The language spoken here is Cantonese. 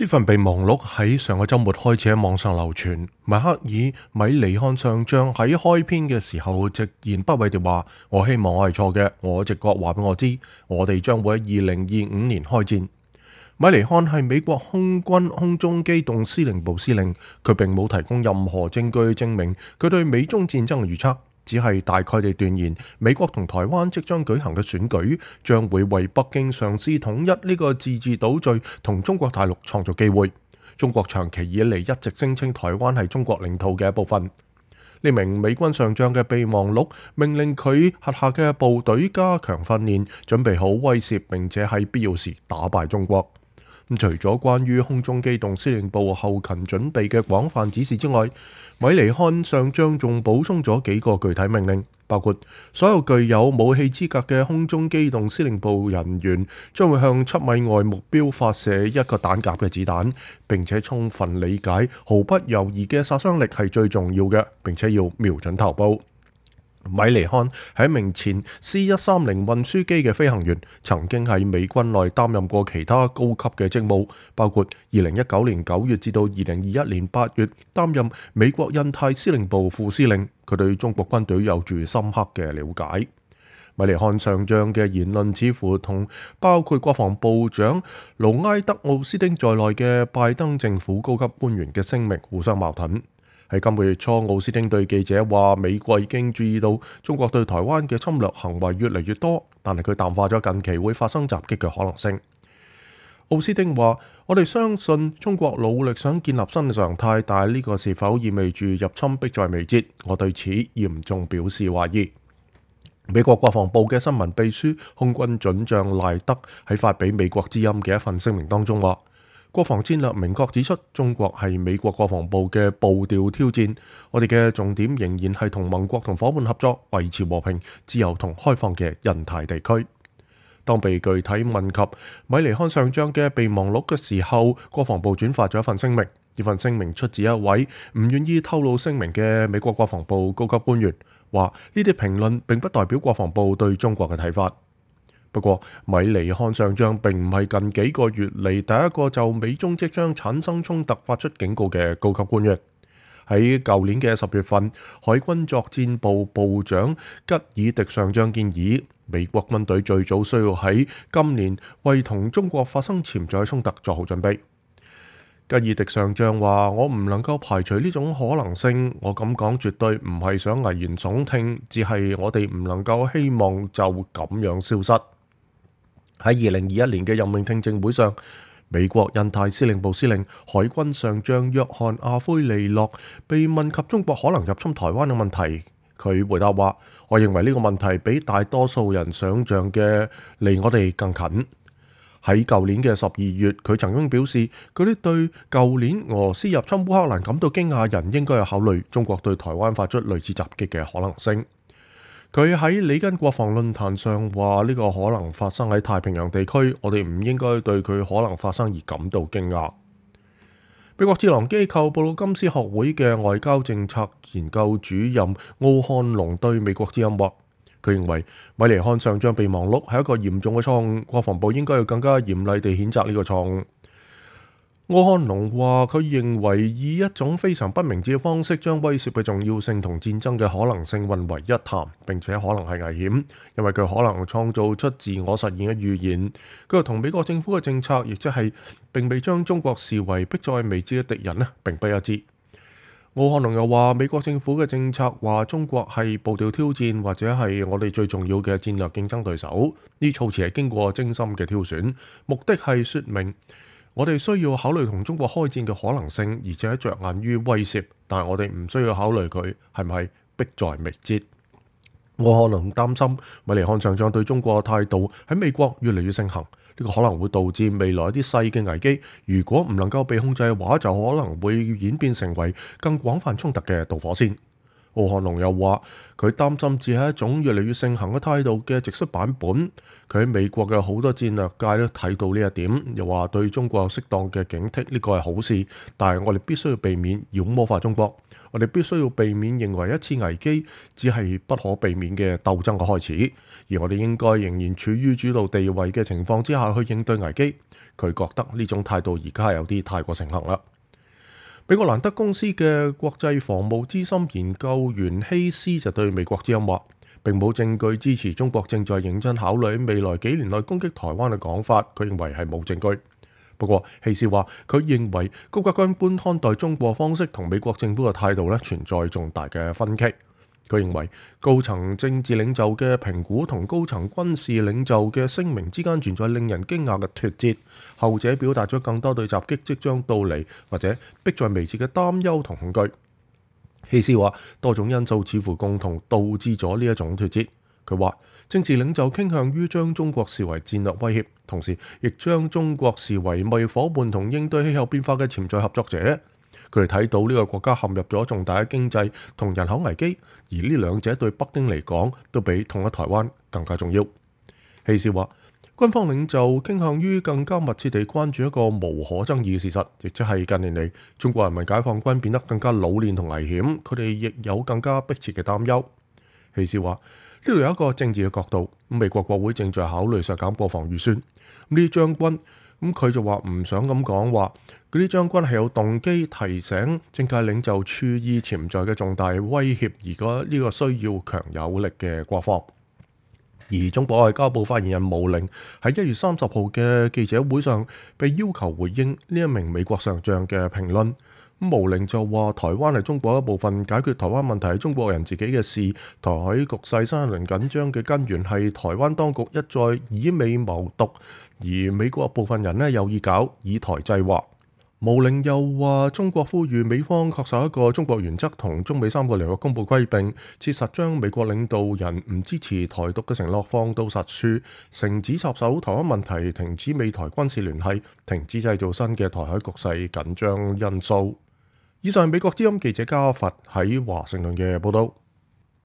呢份備忘錄喺上個週末開始喺網上流傳。邁克爾·米尼漢上將喺開篇嘅時候直言不諱地話：我希望我係錯嘅，我直覺話俾我知，我哋將會喺2025年開戰。米尼漢係美國空軍空中機動司令部司令，佢並冇提供任何證據證明佢對美中戰爭嘅預測，只係大概地斷言美國同台灣即將舉行嘅選舉將會為北京嘗試統一呢個自治島嶼同中國大陸創造機會。中國長期以嚟一直聲稱台灣係中國領土嘅一部分。呢名美軍上將嘅備忘錄命令佢轄下嘅部隊加強訓練，準備好威懾並且喺必要時打敗中國。除咗關於空中機動司令部後勤準備嘅廣泛指示之外，米尼漢上將仲補充咗幾個具體命令，包括所有具有武器資格嘅空中機動司令部人員將會向7米外目標發射一個彈夾嘅子彈，並且充分理解毫不猶豫嘅殺傷力係最重要嘅，並且要瞄準頭部。米尼漢係一名前 C-130 運輸機嘅飛行員，曾經喺美軍內擔任過其他高級嘅職務，包括2019年9月至到2021年8月擔任美國印太司令部副司令。佢對中國軍隊有住深刻嘅了解。米尼漢上將嘅言論似乎同包括國防部長盧埃德奧斯汀在內嘅拜登政府高級官員嘅聲明互相矛盾。喺今個月初，奧斯汀對記者話：美國已經注意到中國對台灣嘅侵略行為越嚟越多，但係佢淡化咗近期會發生襲擊嘅可能性。奧斯汀話：我哋相信中國努力想建立新嘅常態，但係呢個是否意味住入侵迫在眉睫？我對此嚴重表示懷疑。美國國防部嘅新聞秘書空軍准將賴德喺發俾美國之音嘅一份聲明當中話：國防戰略明確指出，中國係美國國防部嘅步調挑戰。我哋嘅重點仍然係同盟國同夥伴合作，維持和平、自由同開放嘅印太地區。當被具體問及米尼漢上將嘅備忘錄嘅時候，國防部轉發咗一份聲明。呢份聲明出自一位唔願意透露聲明嘅美國國防部高級官員，話呢啲評論並不代表國防部對中國嘅睇法。不過，米尼漢上將並唔係近幾個月嚟第一個就美中即將產生衝突發出警告嘅高級官員。喺舊年嘅10月份，海軍作戰部部長吉爾迪上將建議，美國軍隊最早需要喺今年為同中國發生潛在衝突做好準備。吉爾迪上將話：我唔能夠排除呢種可能性，我咁講絕對唔係想危言聳聽，只係我哋唔能夠希望就咁樣消失。喺2021年嘅任命聽證會上，美國印太司令部司令海軍上將約翰阿奎利諾被問及中國可能入侵台灣嘅問題，佢回答話：我認為呢個問題比大多數人想象嘅離我哋更近。喺舊年嘅12月，佢曾經表示，嗰啲對舊年俄羅斯入侵烏克蘭感到驚訝人應該有考慮中國對台灣發出類似襲擊嘅可能性。佢喺里根國防論壇上話：呢個可能發生喺太平洋地區，我哋唔應該對佢可能發生而感到驚訝。美國智囊機構布魯金斯學會嘅外交政策研究主任奧漢龍對美國之音話：佢認為米尼漢上將備忘錄係一個嚴重嘅錯誤，國防部應該要更加嚴厲地譴責呢個錯誤。奧漢龍話：佢認為以一種非常不明智嘅方式將威懾嘅重要性同戰爭嘅可能性混為一談，並且可能係危險，因為佢可能創造出自我實現嘅預言。佢又同美國政府嘅政策，亦即係並未將中國視為迫在眉睫嘅敵人並不一致。奧漢龍又話：美國政府嘅政策話中國係步調挑戰或者係我哋最重要嘅戰略競爭對手，呢措辭係經過精心嘅挑選，目的係說明我哋需要考慮同中國開戰嘅可能性，而且着眼於威懾，但係我哋唔需要考慮佢係唔係迫在眉睫。我可能擔心米尼漢上將對中國嘅態度喺美國越嚟越盛行，呢個可能會導致未來一啲細嘅危機，如果唔能夠被控制嘅話，就可能會演變成為更廣泛衝突嘅導火線。奧漢龍又話佢擔心只係一種越嚟越盛行嘅態度嘅直率版本。佢喺美國嘅好多戰略界都睇到呢一點，又話對中國有適當嘅警惕，呢個係好事，但係我哋必須要避免妖魔化中國，我哋必須要避免認為一次危機只係不可避免嘅鬥爭嘅開始，而我哋應該仍然處於主導地位嘅情況之下去應對危機。佢覺得呢種態度而家係有啲太過盛行啦。美國蘭德公司嘅國際防務資深研究員希斯就對美國之音話，並冇證據支持中國正在認真考慮未來幾年內攻擊台灣嘅講法。佢認為係冇證據。不過希斯話，佢認為高級軍官看待中國方式同美國政府嘅態度存在重大嘅分歧。佢認為高層政治領袖嘅評估同高層軍事領袖嘅聲明之間存在令人驚訝嘅脫節，後者表達咗更多對襲擊即將到嚟或者迫在眉睫嘅擔憂同恐懼。希斯話，多種因素似乎共同導致咗呢一種脫節。佢話政治領袖傾向於將中國視為戰略威脅，同時亦將中國視為貿易夥伴同應對氣候變化嘅潛在合作者。佢哋睇到呢個國家陷入咗重大嘅經濟同人口危機，而呢兩者對北京嚟講都比統一台灣更加重要。希斯話，軍方領袖傾向於更加密切地關注一個無可爭議嘅事實，亦即係近年嚟中國人民解放軍變得更加老練同危險，佢哋亦有更加迫切嘅擔憂。希斯話，呢度有一個政治嘅角度，美國國會正在考慮削減國防預算，呢啲將軍佢就話唔想咁講，話嗰啲將軍係有動機提醒政界領袖注意潛在嘅重大威脅，而家呢個需要強有力嘅國防。而中國外交部發言人毛寧喺1月30號嘅記者會上被要求回應呢一名美國上將嘅評論。毛寧就話台灣係中國一部分，解決台灣問題係中國人自己嘅事，台海局勢新一輪緊張嘅根源係台灣當局一再以美謀獨，而美國部分人有意搞以台制華。毛寧又話中國呼籲美方恪守一個中國原則同中美3個聯合公佈規定，切實將美國領導人唔支持台獨嘅承諾放到實處，停止插手台灣問題，停止美台軍事聯繫，停止製造新嘅台海局勢緊張因素。以上係美國之音記者加佛喺華盛頓嘅報道。